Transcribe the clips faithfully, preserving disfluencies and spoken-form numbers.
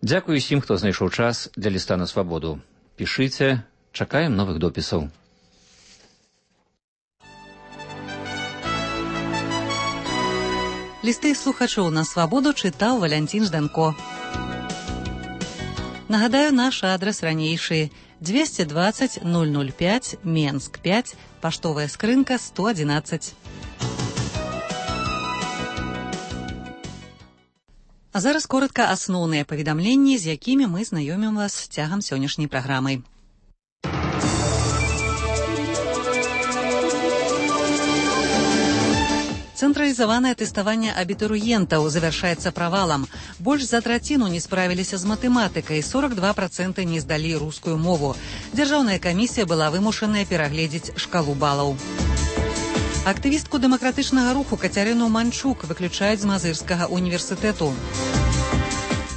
Дзякуй усім, хто знайшоў час для ліста на свабоду. Пішыце, чакаем новых допісаў. Лісты слухачоў на свабоду чытаў Валянцін Жданко. Нагадаю, наш адрес ранейшы двести двадцать ноль ноль пять, Менск пять, паштовая скрынка сто одиннадцать. А зараз коротка асноўныя паведамленні, з якімі мы знаёмім вас цягам сённяшняй праграмы. Цэнтралізаванае тэставанне абітурыентаў завяршаецца правалам. Больш за траціну не справіліся з матэматыкай, сорок два процэнты не здалі рускую мову. Дзяржаўная камісія была вымушаная перагледзець шкалу балаў. Актывістку дэмакратычнага руху Кацярыну Манчук выключаюць з Мазырскага універсітэту.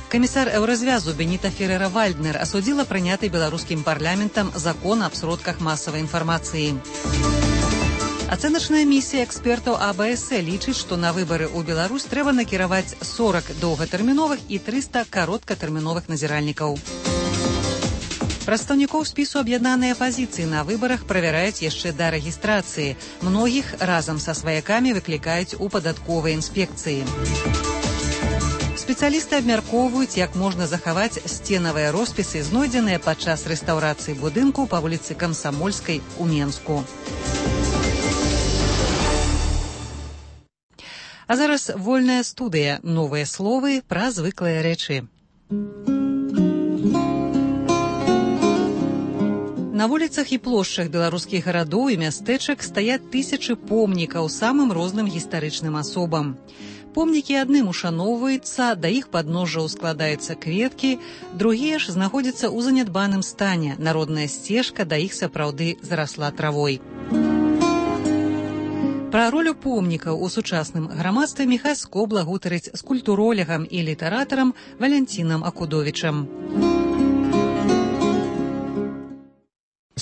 Камісар Еўразвязу Беніта Ферера-Вальднер асудзіла прыняты беларускім парламентам закон аб сродках масавай інфармацыі. Ацэначная місія экспертаў А Б С лічыць, што на выбары ў Беларусь трэба накіраваць сорок доўгатэрміновых і трыста кароткатэрміновых назіральнікаў. Прадстаўнікоў спісу аб'яднанай апазіцыі на выбарах правяраюць яшчэ да рэгістрацыі. Многіх разам са сваякамі выклікаюць у падатковай інспекцыі. Спецыялісты абмяркоўваюць, як можна захаваць сценавыя роспісы, знойдзеныя падчас рэстаўрацыі будынку па вуліцы Камсамольскай у Менску. А зараз вольная студыя. Новыя словы пра звыклыя рэчы. На вуліцах і плошчах беларускіх гарадоў і мястэчак стаяць тысячы помнікаў самым розным гістарычным асобам. Помнікі адным ушаноўваюцца, да іх падножжаў складаюцца кветкі, другія ж знаходзяцца ў занядбаным стане. Народная сцежка да іх сапраўды зарасла травой. Пра ролю помнікаў у сучасным грамадстве Міхась Скобла гутарыць з культуролегам і літаратарам Валянцінам Акудовічам.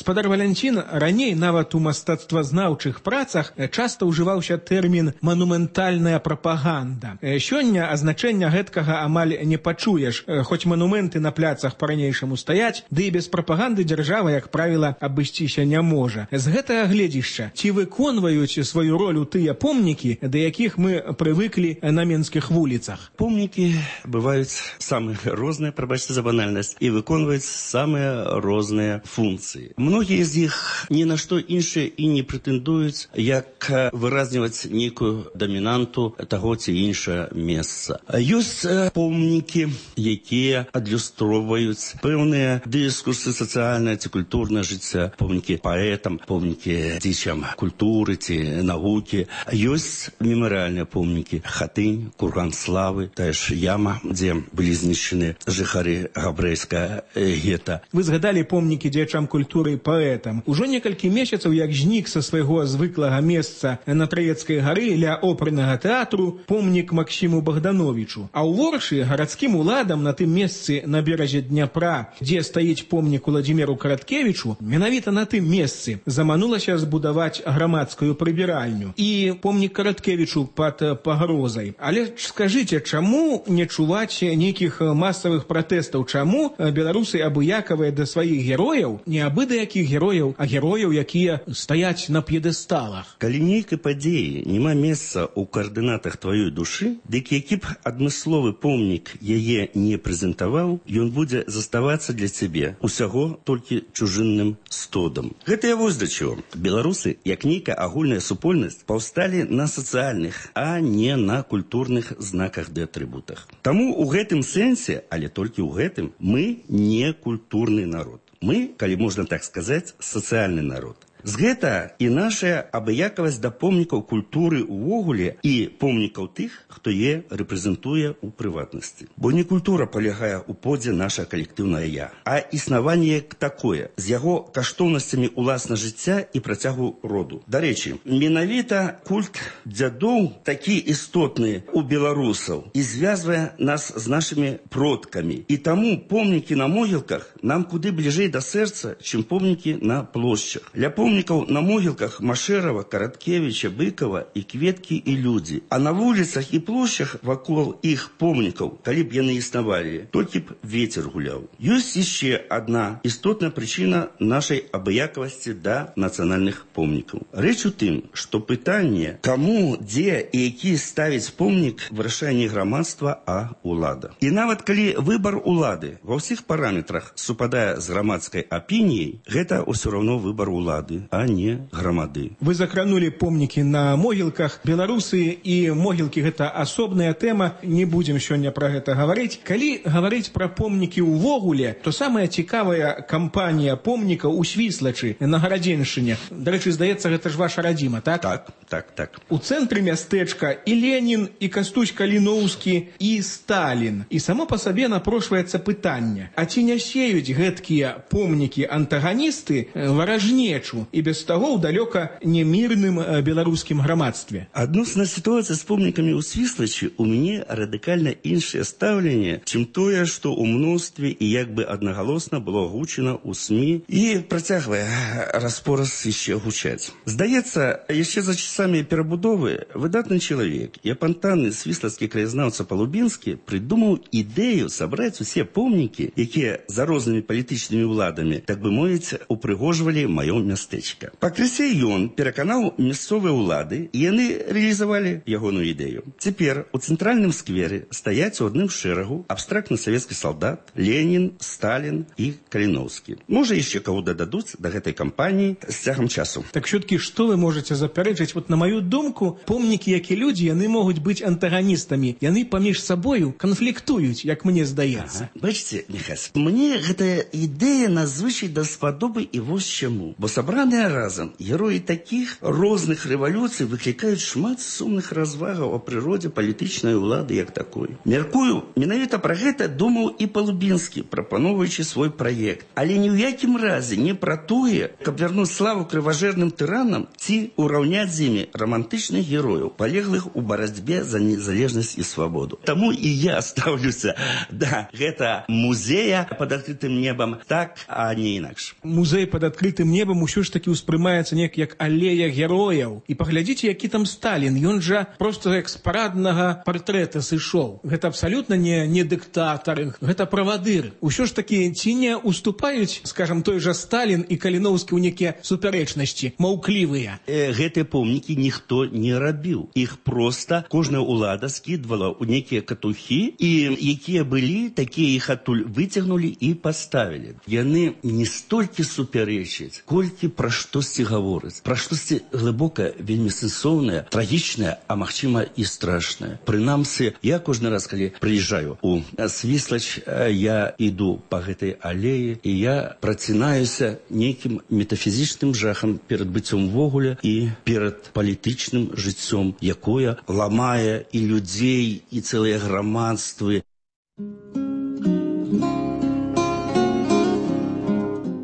Спадар Валянцін раней нават у мастацтвазнаўчых працах часта ўжываўся тэрмін «манументальная прапаганда». Сёння азначэння гэткага амаль не пачуеш, хоць манументы на пляцах па-ранейшаму стаяць, ды і без прапаганды дзяржава, як правіла, абысціся не можа. З гэтага гледзішча, ці выконваюць сваю ролю тыя помнікі, да якіх мы прывыклі на менскіх вуліцах? Помнікі бываюць самыя розныя, прабачце за банальнасць, і выконваюць самыя розныя функцыі. Многія з іх ні на што іншае і не прэтэндуюць, як выразніваць нейкую дамінанту таго ці іншае месца. Ёсць помнікі, якія адлюстроўваюць пэўныя дыскурсы сацыяльнае ці культурнае жыцця, помнікі паэтам, помнікі дзічам культуры ці навукі. Ёсць мемарыяльныя помнікі: Хатынь, Курган славы, тая ж яма, дзе былі знішчаны жыхары габрэйскага гета. Вы згадалі помнікі дзеячам культуры паэтам. Ужо некалькі месяцаў, як знік са свайго звыклага месца на Траецкай гары ля опернага тэатру помнік Максіму Богдановичу. А ў Воршы гарадскім уладам на тым месцы на беразе Дняпра, дзе стаіць помнік Уладзіміру Караткевічу, менавіта на тым месцы заманулася збудаваць грамадскую прыбіральню і помнік Караткевічу пад пагрозай. Але скажыце, чаму не чуваць нейкіх масавых пратэстаў? Чаму беларусы абыякавыя да сваіх герояў, не абы да якіх герояў, а герояў, якія стаяць на п'едэсталах? Калі нейкай падзеі няма месца ў каардынатах тваёй душы, дык які б адмысловы помнік яе не прэзентаваў, ён будзе заставацца для цябе усяго толькі чужынным стодам. Гэта я вось да чаго. Беларусы, як нейкая агульная супольнасць, паўсталі на сацыяльных, а не на культурных знаках ды атрыбутах. Таму ў гэтым сэнсе, але толькі ў гэтым, мы не культурны народ. Мы, калі можна так сказаць, сацыяльны народ. З гэта і наша абыякавасць да помнікаў культуры ўвогуле і помнікаў тых, хто е рэпрэзентуе ў прыватнасці. Бо не культура палягае ў подзе наша калектыўнае я, а існаванне як такое, з яго каштоўнасцямі ўласна жыцця і працягу роду. Дарэчы, менавіта культ дзядоў такі істотны ў беларусаў і звязвае нас з нашымі продкамі. І таму помнікі на могілках нам куды бліжэй да сэрца, чым помнікі на плошчах. Ля помнікаў на могілках Машэрава, Караткевіча, Быкова і кветкі і людзі. А на вуліцах і плошчах вакол іх помнікаў, калі б яны існавалі, толькі б вецер гуляў. Ёсць яшчэ адна істотная прычына нашай абыякавасці да нацыянальных помнікаў. Рэч у тым, што пытанне, каму, дзе і які ставіць помнік, вырашае не грамадства, а ўлада. І нават калі выбар улады ва ўсіх параметрах супадае з грамадскай апініяй, гэта ўсё роўно выбар улады, а не грамады. Вы закранулі помнікі на могілках. Беларусы і могілкі — гэта асобная тэма, не будзем сёння пра гэта гаварыць. Калі гаварыць пра помнікі ўвогуле, то самая цікавая кампанія помнікаў у Свіслачы на Гарадзеншчыне. Дарэчы, здаецца, гэта ж ваша радзіма, так? Так, так, так. У цэнтры мястэчка і Ленін, і Кастусь Каліноўскі, і Сталін. І само па сабе напрошваецца пытанне: а ці не сеюць гэткія помнікі антаганісты варажнечу і без таго ў далёка немірным беларускім грамадстве? Адносна сітуацыі з помнікамі ў Свіслачы у мяне радыкальна іншае стаўленне, чым тое, што ў мностве і як бы аднагалосна было гучана ў СМІ і працягвае распораз яшчэ гучаць. Здаецца, яшчэ за часамі перабудовы выдатны чалавек і апантаны свіслацкі краязнаўца Палубінскі прыдумаў ідэю сабраць усе помнікі, якія за рознымі палітычнымі ўладамі, так бы мовіць, упрыгожвалі маё мястэчка. Пакрысе ён пераканаў мясцовыя ўлады, і яны рэалізавалі ягоную ідэю. Цяпер у цэнтральным сквере стаяць у адным шэрагу абстрактны савецкі салдат, Ленін, Сталін і Каліноўскі. Можа, яшчэ каго дададуць да гэтай кампаніі з цягам часу. Так все-таки, што вы можаце запярэчыць? Вот на маю думку, помнікі, як і людзі, яны могуць быць антаганістамі. Яны паміж сабою канфліктуюць, як мне здаецца. Ага. Бачыце, Міхась, мне гэтая ідэя надзвычай даспадобы і вось чаму. Бо сабраныя разам героі такіх розных рэвалюцый выклікаюць шмат сумных развагаў о прыродзе палітычнай улады як такой. Мяркую, менавіта пра гэта думаў і Палубінскі, прапаноўваючы свой праект. Але ні ў якім разе не пра тое, каб вярнуць славу крыважэрным тыранам ці ўраўняць з імі романтычных герояў, палеглых у барацьбе за незалежнасць і свабоду. Таму і я ставлюся да гэта музея пад адкрытым небам так, а не інакш. Музей пад адкрытым небам усё ж таки ўспрымаецца неяк як алея герояў. І паглядзіце, які там Сталін. Ён жа проста як з параднага партрэта сышоў. Гэта абсалютна не, не дыктатар, гэта правадыр. Усё ж таки ці не уступаюць, скажам, той жа Сталін і Каліноўскі ў некія супярэчнасці, маўклівыя? Э, гэтыя помнікі ніхто не рабіў. Іх проста кожная ўлада скідвала ў некія катухі, і якія былі, такія іх адтуль выцягнулі і паставілі. Яны не столькі супярэчаць, колькі пра штосьці гавораць. Пра штосьці глыбока, вельмі сэнсоўнае, трагічнае, а магчыма і страшнае. Прынамсі, я кожны раз, калі прыязджаю у Свіслач, я іду па гэтай алеі, і я працінаюся нейкім метафізічным жахам перад быццём ввогуле і перад палітычным жыццём, якое ламае і людзей, і цэлыя грамадствы.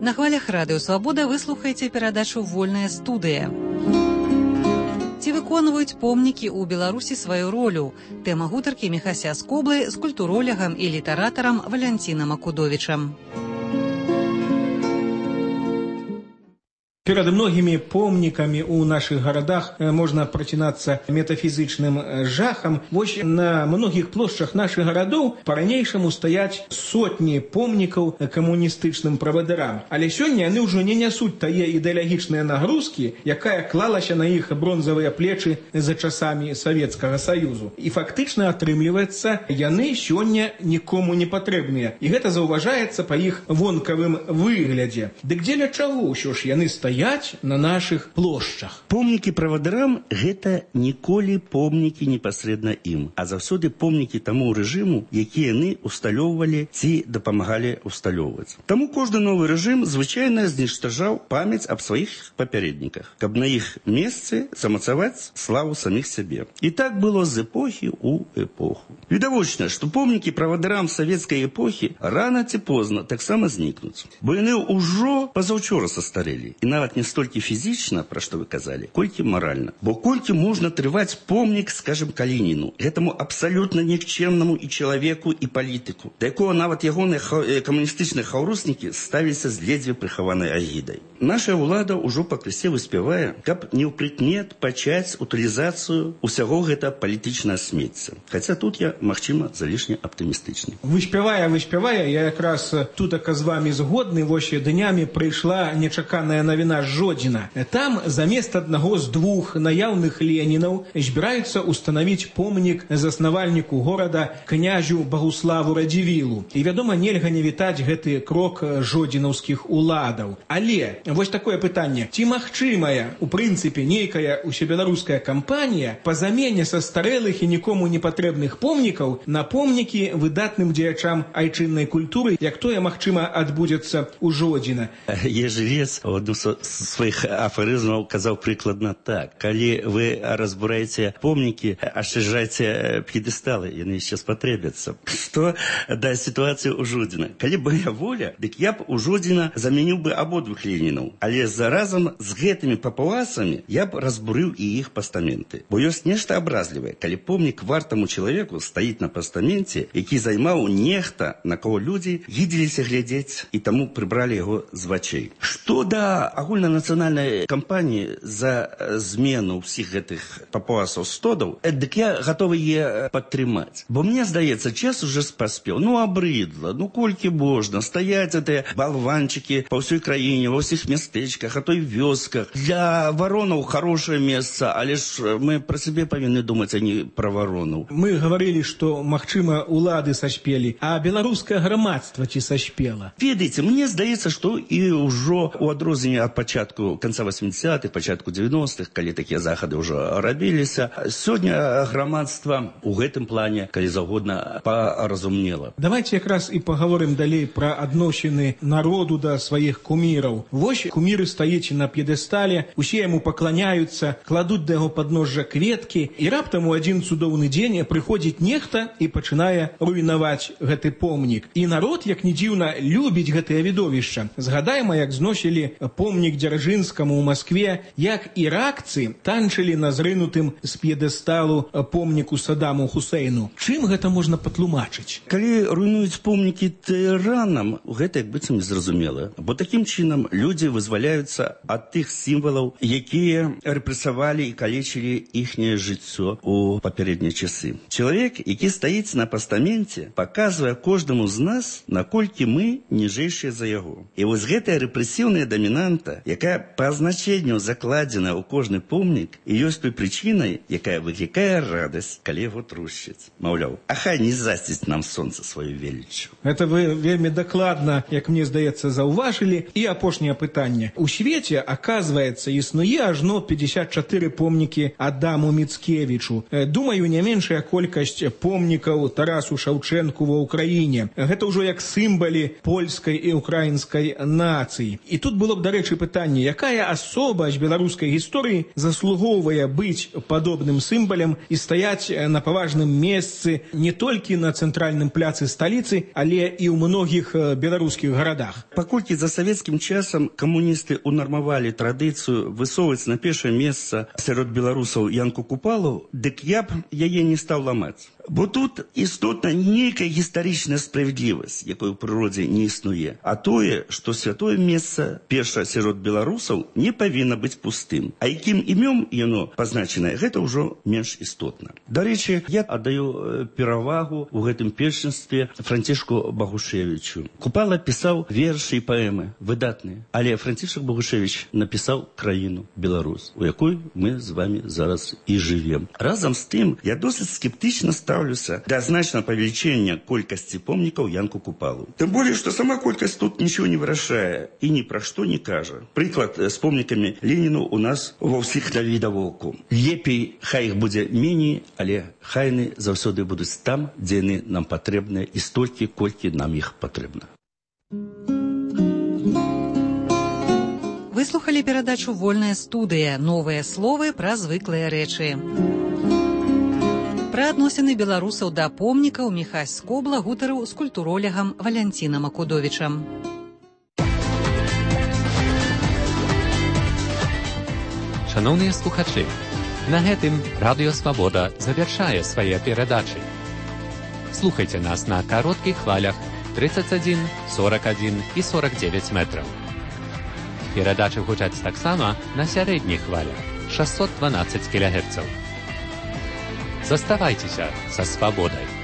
На хвалях радыё «Свабода» вы слухаеце перадачу «Вольная студыя». Ці выконваюць помнікі ў Беларусі сваю ролю? Тэма гутаркі Міхася Скоблы з культуролягам і літаратарам Валянцінам Акудовічам. Перад многімі помнікамі ў нашых гарадах можна працінацца метафізічным жахам. Вось на многіх плошчах нашых гарадоў па-ранейшаму стаяць сотні помнікаў камуністычным правадырам. Але сёння яны ўжо не нясуць тае ідэалагічныя нагрузкі, якая клалася на іх бронзавыя плечы за часамі Савецкага Саюзу. І фактычна атрымліваецца, яны сёння нікому не патрэбныя. І гэта заўважаецца па іх вонкавым выглядзе. Дык дзеля чаго ўсё ж яны стаяць на наших плошчах? Помнікі правадырам – гэта ніколі помнікі непасрэдна ім, а заўсёды помнікі таму рэжыму, які яны усталёўвалі ці дапамагалі усталёўваць. Таму кожны новы рэжым звычайна зніштажаў памяць аб сваіх папярэдніках, каб на іх месцы замацаваць славу саміх сябе. І так было з эпохі ў эпоху. Відавочна, што помнікі правадырам савецкай эпохі рана ці позна таксама знікнуць, бо яны ўжо пазаўчора састарэлі, і нават вінават не столькі фізічна, пра што вы казалі, колькі маральна. Бо колькі можна трываць помнік, скажем, Калініну, гэтаму абсалютна нікчэмнаму і чалавеку, і палітыку, да якога нават ягоныя камуністычныя хаўруснікі ставіліся з ледзьве прыхаванай агідай. Наша ўлада ўжо пакрысе выспявае, каб не ў прыкмет пачаць утылізацыю ўсяго гэта палітычнае смецця. Хаця тут я, магчыма, залішне аптымістычны. Выспявае, выспявае, я якраз тутака з вамі згодны, вось днямі прыйшла нечаканая навіна з Жодзіна. Там замест аднаго з двух наяўных ленінаў збіраюцца устанавіць помнік заснавальніку горада князю Багуславу Радзівілу. І, вядома, нельга не вітаць гэты крок жодзінаўскіх уладаў. Але вось такое пытанне. Ці магчымая, у прынцыпе, нейкая усебеларуская кампанія па замене са старэлых і нікому не патрэбных помнікаў на помнікі выдатным дзеячам айчыннай культуры, як тое, магчыма, адбудзецца ў Жодзіна? Ежелец у адну з сваіх афарызмаў казаў прыкладна так. Калі вы разбураеце помнікі, ашчаджайце п'едэсталы, яны яшчэ спатрэбяцца. Што да сітуацыі ў Жодзіна? Калі б моя воля, дык я б у Жодзіна замяніў бы абодвух Ленінаў. Але заразам з гэтымі папуасамі я б разбурыў і іх пастаменты. Бо ёсць нешта абразлівае, калі помнік вартаму чалавеку стаіць на пастаменце, які займаў нехта, на кого людзі гідзіліся глядзець і таму прыбралі яго з вачэй. Што да агульнанацыянальнай кампаніі за змену ўсіх гэтых папуасаў стодаў, дык я гатовы е падтрымаць. Бо мне здаецца, час уже паспеў. Ну, абрыдла, ну колькі можна стаяць гэтыя балванчыкі па ўсёй краіне, ва ўсіх мястэчках, а то і вёсках. Для варонаў хорошае месца, але ж мы пра сябе павінны думаць, а не пра варонаў. Мы гаварылі, што, магчыма, улады сашпелі, а беларускае грамадства ці сашпела? Ведаеце, мне здаецца, што і ўжо у адрозненне ад пачатку канца восьмідзесятых, пачатку дзевяностых, калі такія захады ўжо рабіліся, сёння грамадства ў гэтым плане, калі заўгодна, паразумнела. Давайте якраз і паговорым далей пра адносіны народу да сваіх куміраў. Вось куміры стаіць на п'едэстале, усе яму пакланяюцца, кладуць да яго падножжа кветкі, і раптам у адзін цудоўны дзень прыходзіць нехта і пачынае руйнаваць гэты помнік. І народ, як ні дзіўна, любіць гэтае відовішча. Згадайма, як зносілі помнік Дзяржынскаму ў Маскве, як іракцы танчылі на зрынутым з п'едэсталу помніку Садаму Хусейну. Чым гэта можна патлумачыць? Калі руйнуюць помнікі тыранам, гэта як быццам незразумела. Бо такім чынам людзі вызваляюцца ад тых сімвалаў, якія рэпрэсавалі і калечылі іхняе жыццё ў папярэднія часы. Чалавек, які стаіць на пастаменце, паказвае кожнаму з нас, наколькі мы ніжэйшыя за яго. І вось гэтая рэпрэсіўная дамінанта, якая па азначэнню закладзена ў кожны помнік, і ёсць той прычынай, якая выклікае радасць, калі яго трушчаць. Маўляў, а хай не засціць нам сонца сваю веліччу. Гэта вы вельмі дакладна, як мне здаецца, заўважылі. І апошняе пытанне. У свеце, аказваецца, існуе ажно пятьдесят чатыры помнікі Адаму Міцкевічу. Думаю, не меншая колькасць помнікаў Тарасу Шаўчэнку ва ўкраіне. Гэта ўжо як сімвалы польскай і украінскай нацыі. І тут было б, дарэчы, пытанне, якая асоба з беларускай гісторыі заслугоўвае быць падобным сімвалем і стаяць на паважным месцы не толькі на цэнтральным пляцы сталіцы, але і ў многіх беларускіх гарадах. Паколькі за савецкім часам камуністы унармавалі традыцыю высоўваць на першае месца сярод беларусаў Янку Купалу, дык я б яе не стаў ламаць. Бо тут істотна нейкая гістарычная справядлівасць, якой у прыродзе не існуе. А тое, што святое месца, перша сярод беларусаў, не павінна быць пустым. А якім імём яно пазначанае, гэта ўжо менш істотна. Дарэчы, я аддаю перавагу ў гэтым першынстве Францішку Багушевічу. Купала пісаў вершы і паэмы, выдатныя. Але Францішак Багушевіч напісаў краіну Беларусь, у якой мы з вами зараз і жывем. Разам з тым, я досыць скептычна стаў да значного павелічэння колькасці помнікаў Янку Купалу. Тым болей, што сама колькасць тут нічого не вырашае і ні пра што не кажа. Прыклад з помнікамі Леніну у нас ва ўсіх навідавоку. Лепей, хай іх будзе меней, але хайны заўсёды будуць там, дзе яны нам патрэбныя і столькі, колькі нам іх патрэбна. Выслухалі перадачу «Вольная студыя». Новыя словы пра звыклыя рэчы. Пра адносіны беларусаў да помнікаў Міхась Скобла гутарыў з культуролегам Валянцінам Акудовічам. Шановні слухачі, на гэтым Радіо Свабода завяршае свае перадачы. Слухайте нас на коротких хвалях тридцать один, сорок один и сорок девять метров. Передачи гучаць таксама на сярэдніх хвалях шестьсот двенадцать килогерцев. Заставайтеся со свободой.